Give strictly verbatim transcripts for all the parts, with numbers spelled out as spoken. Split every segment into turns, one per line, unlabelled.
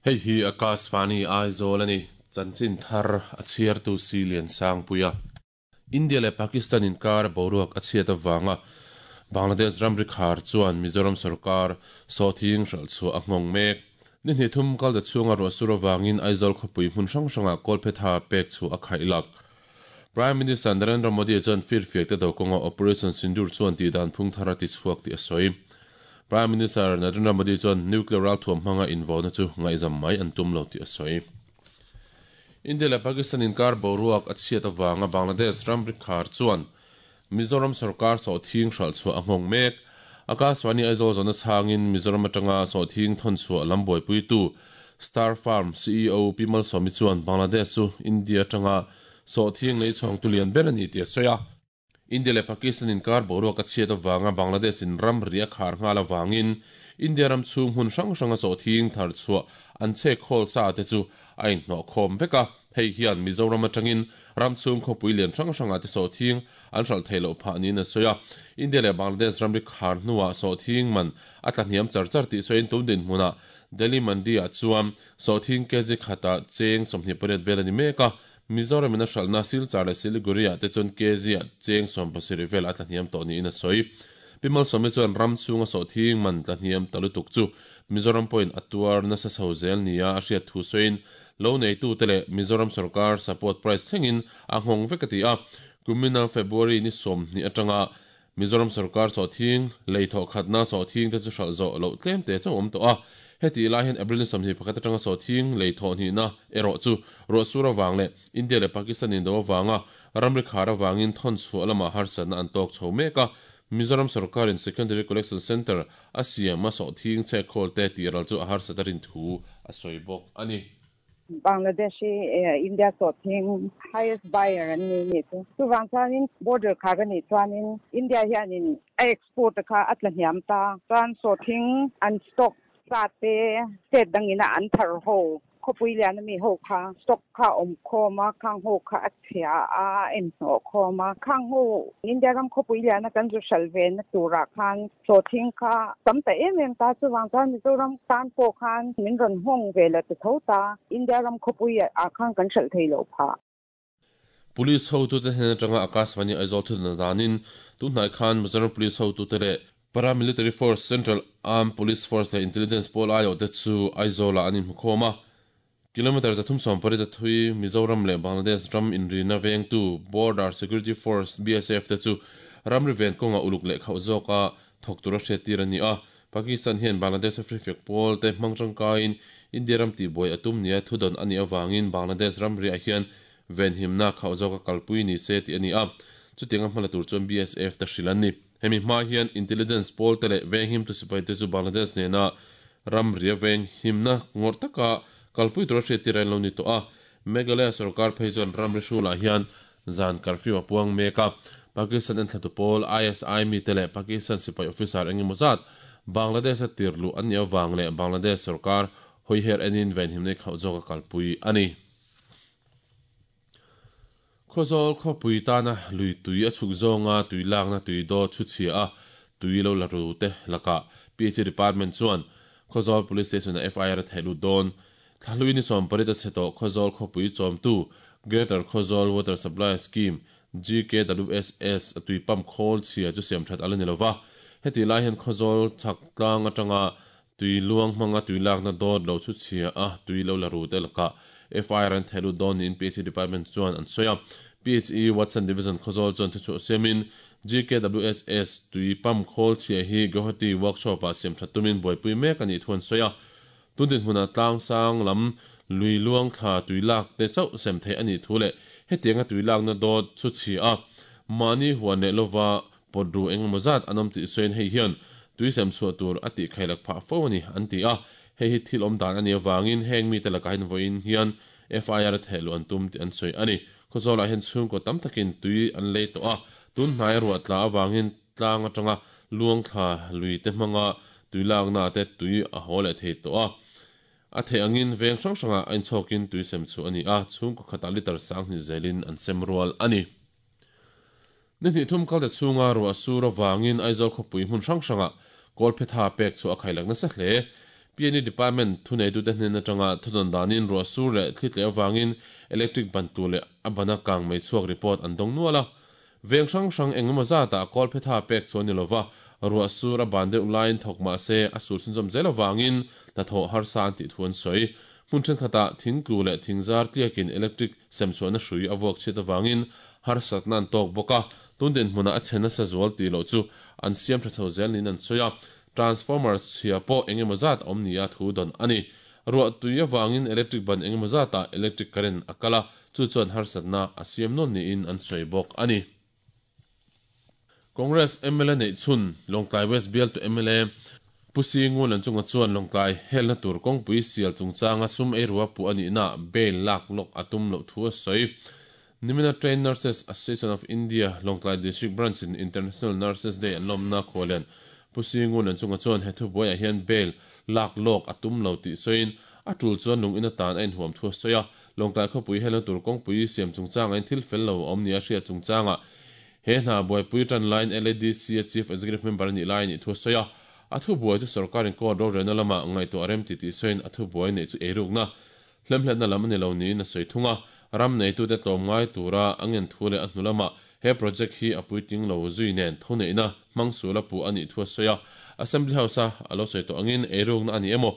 Hei hi Akashvani Aizawl a ni. Chanchin thar a chhiartu si lian sang puia. India leh Pakistan inkar boruak a chhiat avanga Bangladesh ramri khar chuan Mizoram sarkar sawhthing hralh chhuah a nghawng mek. Ni hnih thum kal ta chhunga ruah sur avangin Aizawl khawpui hmun hrang hranga kawlphetha pek chu a khaih lak. Prime Minister Narendra Modi chuan firfiak te do kawnga Operation Sindoor chuan tih dan phung thar a ti chhuak tih a sawi. Prime Minister Narendra Modi chuan nuclear ralthuam hmanga invauna chu ngaihzam mai an tum lo tih a sawi. India leh Pakistan inkar boruak a chhiat avanga Bangladesh ramri khar chuan Mizoram sarkar sawhthing hralh chhuah a nghawng mek. Akashvani Aizawl zawhna chhangin Mizoram atanga sawhthing thawn chhuah lam buaipuitu Star Farm C E O Pi Malsawmi chuan Bangladesh chu India atanga sawhthing lei chhawng tu lian ber a ni tih a sawi a. India leh Pakistan inkar boruak a chhiat avanga Bangladesh in ramri a khar nghal avangin India ram chhung hmun hrang hranga sawhthing thar chhuah an chhek khawl sa te chu a inhnawh khawm vek a. Hei hian Mizoram atangin ram chhung khawpui lian hrang hranga te sawhthing an hralh thei loh phah niin a sawi a. India leh Bangladesh ramri khar hnuah sawhthing man a tla hniam char char tih sawiin tum din hmunah Delhi Mandi ah chuan sawhthing kg khata cheng sawmhnih pariat vel a ni mek a. Mizoram in a hralhna Silchar leh Siliguri ah te chuan kg ah cheng sawm pasarih vel a tla hniam tawh niin a sawi. Pi Malsawmi chuan ram chhunga sawhthing man tla hniam ta lutuk chu Mizoram pawhin a tuar nasa chho zel nia a hriat thu sawiin lo neitu te leh Mizoram sarkar support price thlengin a nghawng vek a ti a. Kumina February ni sawmhnih atanga Mizoram sarkar sawhthing lei thawh khatna sawhthing te chu hralh zawh loh tlem te chauh awm tawh a. Heti lai hian April ni sawmhnih pakhat atanga sawhthing lei thawh hnihna erawh chu ruah sur awang leh India leh Pakistan indo awanga ramri khar awangin thawn chhuah lamah harsatna an tawk chho mek a. Mizoram sarkarin Secondary Collection Centre a siam a sawhthing chhek khawl te tih ral chu a harsat a rin thu a sawi bawk a ni.
Bangladesh India sawhthing highest buyer an ni ni chu. Chuwang chuanin border khar ani chuanin India hianin a export kha a tla hniam ta. Chuan sawhthing an stock sa te state dangina an thar ho khawpui lian ami ho kha stock kha awm khawm a khang ho kha a chhia a en hnawh khawm a khang ho India ram khawpui lian a kan zu hralh ve na turah khan sawhthing kha tam ta em em ta chuwang chuan Mizoram tan pawh khan min rawn hawng ve la ti tho ta India ram khawpui ah khan kan hralh thei loh phah.
Police ho tu te hnen atanga Akashvani Aizawl thutna danin tunhnai khan Mizoram Police ho tu te leh Paramilitary Force Central Armed Police Force leh Intelligence Pawl aiawh te chu Aizawl ah an inhmu khawm a. Kilometer zathum sawm pariat a thui Mizoram leh Bangladesh ram inrina vengtu Border Security Force B S F te chu ramri ven kawnga uluk leh khauh zawka thawk tur a hriat tir a ni a. Pakistan hian Bangladesh a firfiak pawl te hmang tangkain India ram tihbuai a tum nia thudawn a nih awangin Bangladesh ramri ah hian venhimna khauh zawka kalpui ni se tih a ni a. Chutiang a hmala tur chuan B S F te hrilh an ni. Hemi hma hian intelligence pawl te leh venghim tu sipai te chu Bangladesh nena ramri a venghimna ngawrh taka kalpui tur a hriat tir an lo ni tawh a. Meghalaya sarkar phei chuan ramri hrulah hian zan curfew a puang mek a. Pakistan en thlatu pawl I S I mi te leh Pakistan sipai officer engemaw zat Bangladesh a tirlu an ni awang leh Bangladesh sarkar hawiher enin venhimna khauh zawka kalpui a ni. Khawzawl khawpui tana lui tui a chhuk zawnga tui lakna tui daw chu chhia a tui lo la ru te laka P H E department chuan Khawzawl Police Station a F I R a theih lut dawn. Thlalui ni sawm pariat a chhe tawh Khawzawl khawpui chawmtu Greater Khawzawl Water Supply Scheme G K W S S a tui pump khawl chhia chu siam that ala ni lova. Heti lai hian Khawzawl chhak tlang atanga tui luang hmanga tui lakna dawt lo chu chhia a tui lo la ru te laka F I R an theih lut dawn niin P H E department chuan an sawi a. P H E Watson Division Khawzawl chuan thu chhuah siamin G K W S S tui pump khawl chhia hi Guwahati workshop ah siam that tumin buaipui mek a nih thu an sawi a. Tundin hmuna tlang sang lam lui luang thla tui lak te chauh sem thei a nih thu leh hetianga tui lakna dawt chu chhia a mahni huan leh lova pawt ru engemaw zat an awm tih sawiin hei hian tui sem chhuah tur a tih khailak phah fo a ni an ti a. Hei hi thil awm dan a ni awangin heng mi te lakah hian vawiin hian F I R a theih lu an tum tih an sawi a ni. Khawzawlah hian chhungkaw tam takin tui an lei tawh a. Tunhnai ruah tla awangin tlang atanga luang thla lui te hmanga tui lakna te tui a haw leh thei tawh a. A thei angin veng hrang hranga a inchhawkin tui sem chu a ni a. Chhungkaw khatah liter sang hnih zelin an sem rual a ni. Ni hnih thum kal te chhunga ruah sur awangin Aizawl khawpui hmun hrang hranga kawlphetha pek chu a khailak nasa hle. P N E Department thuneitu te hnen atanga thudawn danin ruah sur leh thli tleh avangin electric ban tlu leh a bana kang mei chhuak report an dawng nual a. Veng hrang hrang engemaw zatah kawl phetha pek chuan ni lova ruah sur a ban deuh laiin thawk mah se a sur chhunzawm zel avangin hnathawh harsa an tih thu an sawi. Hmun thenkhatah thing tlu leh thing zar tliakin electric sem chhuahna hrui a vuak chhiat avangin harsatna an tawk bawk a. Tun dinhmunah a chhe nasa zual tih loh chu an siam tha chho zel niin an sawi a. Transformer chhia pawh engemaw zat awm nia thu dawn a ni. Ruah tui avangin electric ban engemaw zatah electric current a kal a, chu chuan harsatna a siam nawn niin an sawi bawk a ni. Congress M L A neih chhun Lawngtlai West bialtu M L A Pu Singun chunga chuan Lawngtlai helna tur kawngpui sial chungchanga sum ei ruwa pu ani na bail lak lok atum lo thu a sawi. Nimina Trained Nurses Association of India Lawngtlai District Branch in International Nurses Day an lawmna khawlen Pu Singun chunga chuan he thu buaiah hian bail lak lawk atum lo tih sawiin a tul chuan lung in atan a inhuam thu a sawi a. Lawngtlai khawpui helna tur kawngpui siam chungchanga in thil fel lo awm ni a hriat chungchanga he hna buaipui tan line L A D C a Chief Executive Member ani lai ni thu a sawi a. A thu buai chu sarkarin court rorelna lama ngaihtuah rem ti tih sawiin a thu buai nei chu eirukna hlemhletna lam ani lo niin a sawi thung a. Ram neitute tlawm ngai tura angen thu leh a hnu lama he project hi a puitling lo zui nen thuneihna hmang sula pu ani thu a sawi a. Assembly House a alo sawi tawh angin eirukna ani emaw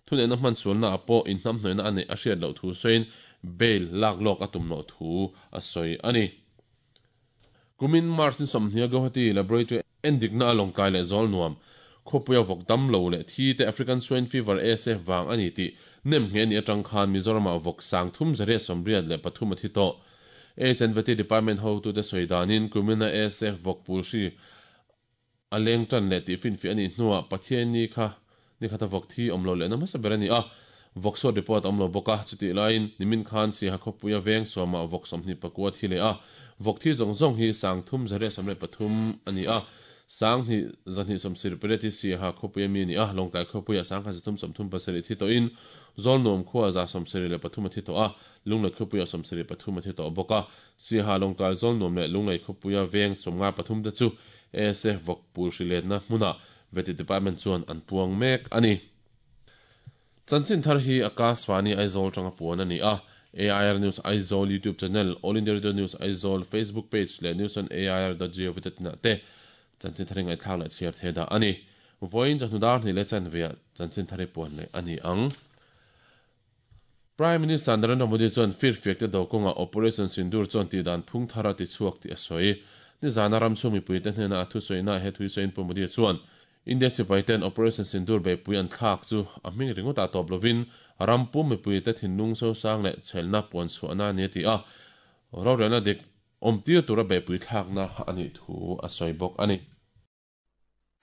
thuneihna hman sualna a pawh inhnam hnoihna ani a hriat loh thu sawiin bail lak lawk a tum loh thu a sawi ani. Kumin March ni sawmhnih Guwahati Laboratory endikna a Lawngtlai leh Zawlnuam khawpuia vawk dam lo leh thi te African Swine Fever A S F wang ani ti nem nge ni atang khan Mizoramah vawk sang thum zariat sawmriat leh pathum a thi tawh. H and V T Department ho tu te sawi danin kumina A S F vawk pul hri a leng tan leh tih fin fi ani hnuah Pathian ni kha ni khata vawk thi awm lo leh na hmasa ber ani a. Vawk sawt report awm lo bawk a. Chuti laiin nimin khan Siaha khawpuia veng sawma vawk sawmhnih pakua thi leh a. Vawk thi zawng zawng hi sang thum zariat sawmriat pathum ani a. Sang hi zahnih sawmsarih pariat hi Siaha khawpuia mi ani a. Lawngtlai khawpuia sang khat zathum sawmthum pasarih thi tawhin Zawlnuam khuaa za sawmsarih leh pathum a thi tawh a. Lunglei khawpuia sawmsarih pathum a thi tawh bawk a. Siaha, Lawngtlai, Zawlnuam leh Lunglei khawpuia veng sawmnga pathum te chu A S F vawk pul hri letna hmuna Vety Department chuan an puang mek ani. Chanchin thar hi Akashvani Aizawl tanga puan ani a. A I R News Aizawl YouTube channel, All India Radio News Aizawl Facebook page leh news on A I R dot gov na te chanchin thar ngai thlak leh chhiar the da ani. Voin chahnudar ni le chan via chanchin thari puan le ani ang. Prime Minister Narendra Modi chuan fir fiak te dokonga Operation Sindoor chuan ti dan phung thara ti chuak ti a sawi. Ni zana ram chu mipui te hnena a thu sawi na he thui sawiin Pu Modi chuan India sipai ten Operation Sindoor be pui an thlak chu a hming ringawt a tawp lovin ram pum mipui te thinlung so sang leh chhelna puan chhuahna ani ti a. Rorelna dik awm tir tura be pui thlakna ani thu a sawi bawk ani.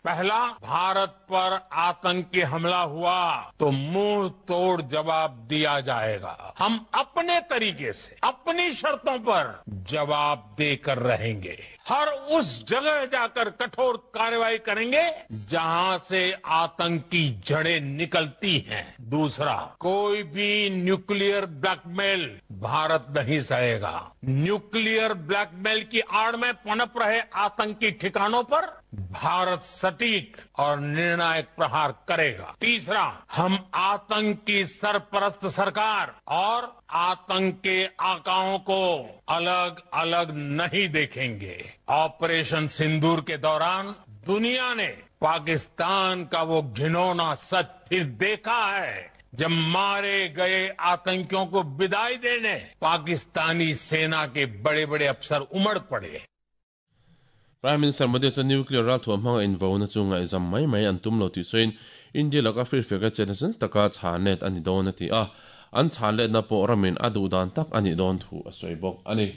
पहला, भारत पर आतंकी हमला हुआ तो मुंह तोड़ जवाब दिया जाएगा। हम अपने तरीके से, अपनी शर्तों पर जवाब देकर रहेंगे। हर उस जगह जाकर कठोर कार्रवाई करेंगे जहां से आतंक की जड़ें निकलती हैं। दूसरा, कोई भी न्यूक्लियर ब्लैकमेल भारत नहीं सहेगा। न्यूक्लियर ब्लैकमेल की आड़ में पनप रहे आतंकी ठिकानों पर भारत सटीक और निर्णायक प्रहार करेगा। तीसरा, हम आतंक की सरपरस्त सरकार और आतंक के आकाओं को अलग अलग नहीं देखेंगे। ऑपरेशन सिंदूर के दौरान दुनिया ने पाकिस्तान का वो घिनौना सच फिर देखा है, जब मारे गए आतंकियों को विदाई देने पाकिस्तानी सेना के बड़े बड़े अफसर उमड़ पड़े।
Prime Minister Modi chuan nuclear ral thuam hmanga invo na chu ngaihzam mai mai an tum lo tih sawiin India laka fir fiaka chetna chun taka chhan let ani dawn a ti a. An chhan let na pawh ramin a duh dan tak ani dawn thu a sawi bawk ani.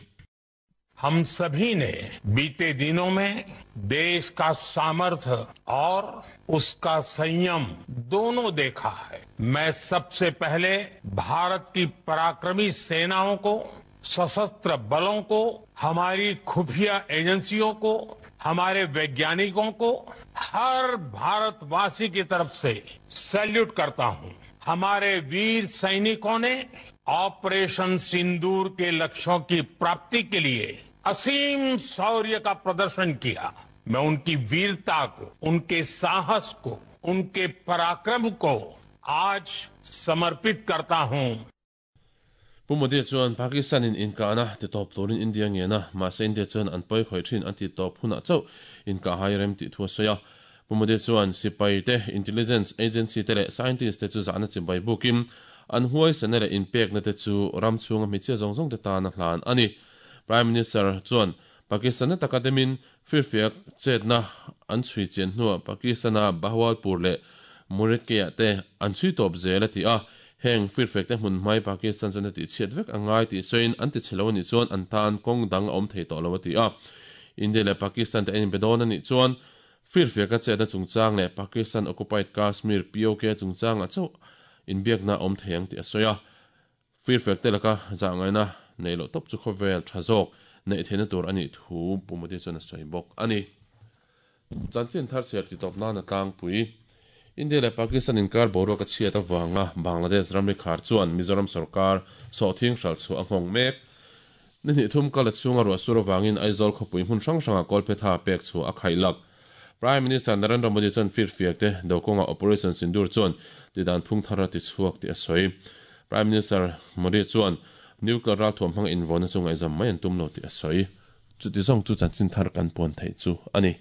हम सभी ने बीते दिनों में देश का सामर्थ्य और उसका संयम दोनों देखा है। मैं सबसे पहले भारत की पराक्रमी सेनाओं को, सशस्त्र बलों को, हमारी खुफिया एजेंसियों को, हमारे वैज्ञानिकों को हर भारतवासी की तरफ से सैल्यूट करता हूं। हमारे वीर सैनिकों ने ऑपरेशन सिंदूर के लक्ष्यों की प्राप्ति के लिए असीम शौर्य का प्रदर्शन किया। मैं उनकी वीरता को, उनके साहस को, उनके पराक्रम को आज समर्पित करता हूं।
Pu Modi chuan Pakistan in inkahna ti tawp turin India ngen a, mahse India chuan an pawi khawih thin an ti tawp hunah chauh inkah hai rem tih thu a sawi a. Pu Modi chuan sipai te, intelligence agency te leh scientist te chu zahna chibai bukin an huaisana leh inpekna te chu ram chhunga hmeichhia zawng zawng te tan a hlan a ni. Prime Minister chuan Pakistan na taka demin firfiak chetna an chhui chian hnuah Pakistan-a Bahawalpur leh Muridke-ah te an chhui tawp zel a ti a. Heng firfek te hmun hmai Pakistan chuan a tihchhiat vek a ngai tih sawiin an ti chhe lo a nih chuan an tan kawng dang a awm thei tawh lo a ti a. India leh Pakistan te an inbe dawn a nih chuan firfeka chetna chungchang leh Pakistan Occupied Kashmir, P O K, chungchangah chauh inbiakna a awm thei ang tih a sawi a. Firfek te laka zahngaihna neih loh tawp chu khawvel tha zawk neih theihna tur a nih thu Pu Modi chuan a sawi bawk a ni. Chanchin thar chhiar ti tawp nan a tlangpui. India leh Pakistan inkar boruak a chhiat avanga Bangladesh ramri khar chuan Mizoram sorkar sawhthing hralh chhuah a nghawng mek. Ni hnih thum kal a chhunga ruah sur avangin Aizawl khawpui hmun hrang hrangah kawlphetha pek chhuah a khaihlak. Prime Minister Narendra Modi chuan firfiak te do kawnga Operation Sindoor chuan tidan phung thar a ti chhuak tih a sawi. Prime Minister Modi chuan nuclear ralthuam hmanga invawnna chu ngaihzam mai an tum lo tih a sawi. Chuti zawng chu chanchin thar kan puan theih chu a ni.